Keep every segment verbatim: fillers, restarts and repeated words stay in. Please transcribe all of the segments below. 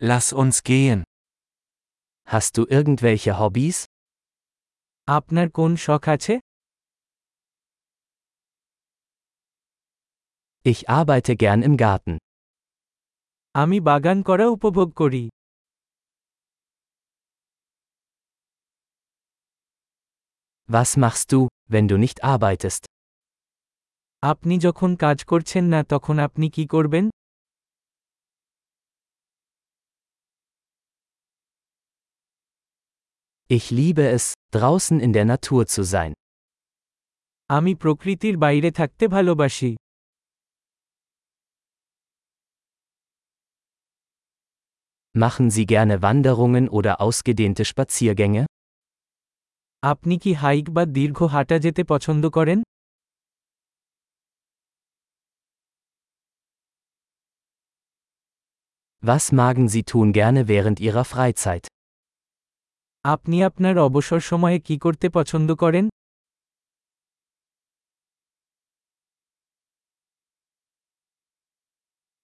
Lass uns gehen. Hast du irgendwelche Hobbys? আপনার কোন শখ আছে? Ich arbeite gern im Garten. আমি বাগান করা উপভোগ করি। Was machst du, wenn du nicht arbeitest? আপনি যখন কাজ করছেন না তখন আপনি কি করবেন? Ich liebe es, draußen in der Natur zu sein. আমি প্রকৃতির বাইরে থাকতে ভালোবাসি। Machen Sie gerne Wanderungen oder ausgedehnte Spaziergänge? আপনি কি হাইক বা দীর্ঘ হাঁটা যেতে পছন্দ করেন? Was magen Sie tun gerne während Ihrer Freizeit? আপনি আপনার অবসর সময়ে কি করতে পছন্দ করেন?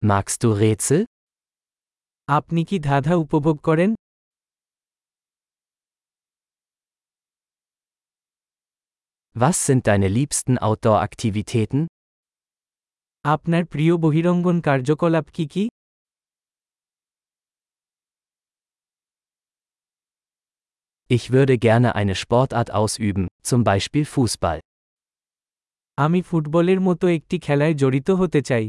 Magst du Rätsel? আপনি কি ধাঁধা উপভোগ করেন? Was sind deine liebsten Outdoor-Aktivitäten? আপনার প্রিয় বহিরঙ্গন কার্যকলাপ কি কি? Ich würde gerne eine Sportart ausüben, zum Beispiel Fußball. আমি ফুটবলের মতো একটি খেলায় জড়িত হতে চাই।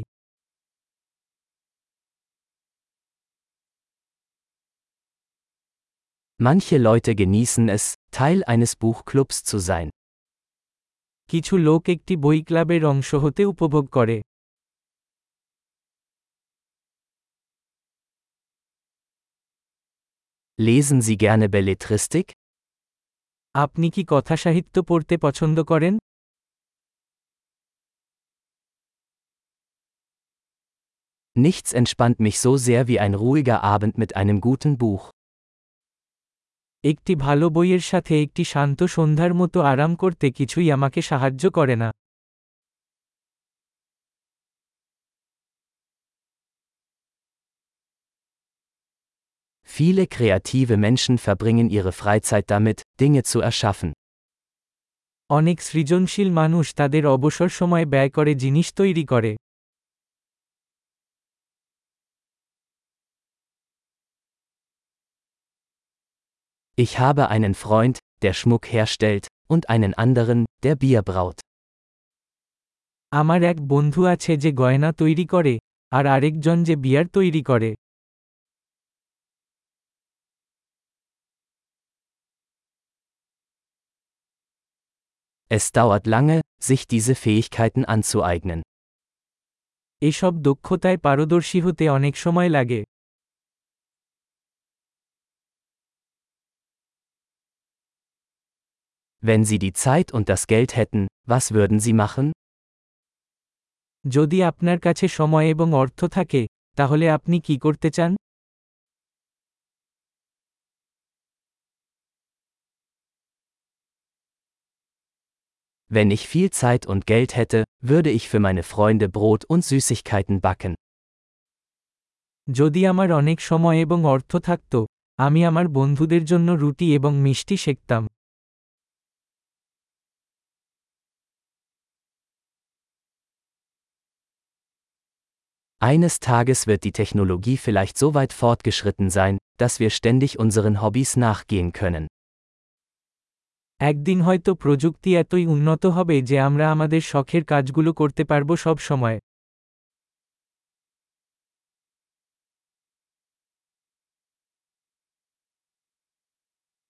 Manche Leute genießen es, Teil eines Buchclubs zu sein. কিছু লোক একটি বই ক্লাবের অংশ হতে উপভোগ করে। Lesen Sie gerne Belletristik? আপনি কি কথাসাহিত্য পড়তে পছন্দ করেন? Nichts entspannt mich so sehr wie ein ruhiger Abend mit einem guten Buch. একটি ভালো বইয়ের সাথে একটি শান্ত সন্ধ্যার মতো আরাম করতে কিছুই আমাকে সাহায্য করে না। Viele kreative Menschen verbringen ihre Freizeit damit, Dinge zu erschaffen. অনেক সৃজনশীল মানুষ তাদের অবসর সময় ব্যয় করে জিনিস তৈরি করে। Ich habe einen Freund, der Schmuck herstellt, und einen anderen, der Bier braut. আমার এক বন্ধু আছে যে গয়না তৈরি করে, আর আরেকজন যে বিয়ার তৈরি করে। Es dauert lange, sich diese Fähigkeiten anzueignen. এসব দক্ষতায় পারদর্শী হতে অনেক সময় লাগে। Wenn Sie die Zeit und das Geld hätten, was würden Sie machen? যদি আপনার কাছে সময় এবং অর্থ থাকে, তাহলে আপনি কি করতে চান? Wenn ich viel Zeit und Geld hätte, würde ich für meine Freunde Brot und Süßigkeiten backen. যদি আমার অনেক সময় এবং অর্থ থাকত, আমি আমার বন্ধুদের জন্য রুটি এবং মিষ্টি সেঁকতাম। Eines Tages wird die Technologie vielleicht so weit fortgeschritten sein, dass wir ständig unseren Hobbys nachgehen können. একদিন হয়তো প্রযুক্তি এতই উন্নত হবে যে আমরা আমাদের শখের কাজগুলো করতে পারব সব সময়।